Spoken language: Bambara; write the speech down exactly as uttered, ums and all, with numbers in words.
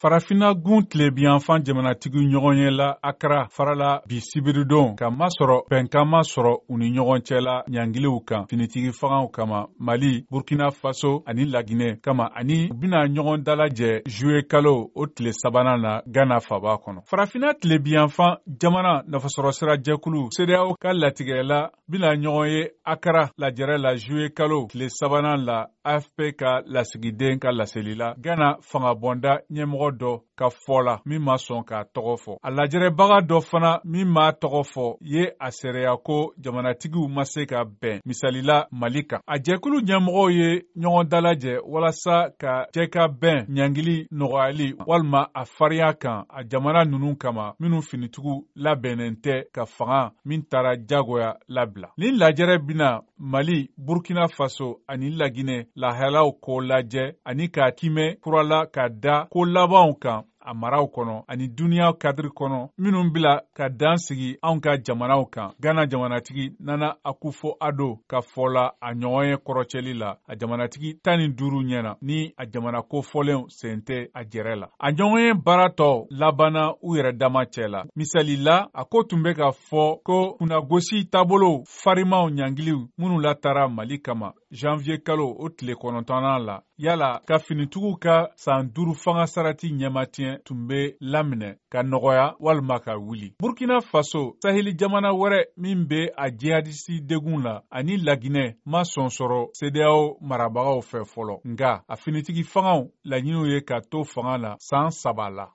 Farafinna gun tilebinyanfan jamanatigiw ɲɔgɔn ye la Akara farala bi sibiridon ka masɔrɔ bɛnkan ma sɔrɔ u ni ɲɔgɔn cɛ la ɲangiliw kan finitigi fangaw kama Mali, Burkina Faso ani Laginɛ kama, ani u bɛna ɲɔgɔn dalajɛ juillet kalo o tile sabanan na Ghana faba kɔnɔ. Farafinna tilebinyanfan jamana nafasɔrɔsira jɛkulu CEDEAO ka latigɛla bɛna ɲɔgɔn ye Akara lajɛrɛ la juillet kalo tile sabanan la, A F P ka lasigiden ka laseli la Ghana fangabɔnda ɲɛmɔgɔ dɔ ka fɔ la min ma sɔn k'a tɔgɔ fɔ. A lajɛrɛbaga dɔ fana min m'a tɔgɔ fɔ ye a seereya ko jamanatigiw ma se ka bɛn misalila Mali kan. A jɛkulu ɲɛmɔgɔw ye ɲɔgɔn dalajɛ walasa ka jɛ ka bɛn ɲangili nɔgɔyali walima a farinya kan a jamana ninnu kama minnu finitigiw labɛnnen tɛ ka fanga min taara jagoya labila. Nin lajɛrɛ bɛna Mali, Burkina Faso ani Laginɛ lahalaw ko lajɛ ani k'a kimɛ kurala ka da ko labanw kan a maraw kɔnɔ ani duniya kadiri kɔnɔ minnu bila ka dan sigi anw ka jamanaw kan. Ghana jamanatigi Nana Akufo-Addo ka fɔ la a ɲɔgɔn ye kɔrɔcɛli la a jamanatigi tan ni duuru ɲɛna ni a jamana kofɔlenw sen tɛ a jɛrɛ la. A ɲɔgɔn ye baara tɔ labanna u yɛrɛ dama cɛ la. Misali la, a ko tun bɛ ka fɔ ko kunnagosi taabolo farimaw ɲangiliw minnu latara Mali kama janvier kalo o tile kɔnɔntɔnnan la, yala ka finitigiw ka san duuru fanga sarati ɲɛmatiɲɛ tun bɛ laminɛ ka nɔgɔya walima ka wuli. Burkina Faso, saheli jamana wɛrɛ min bɛ a jihadisi degun la, ani Laginɛ ma sɔn sɔrɔ CEDEAO marabagaw fɛ fɔlɔ, nka a finitigi fangaw laɲiniw ye ka to fanga la san saba la.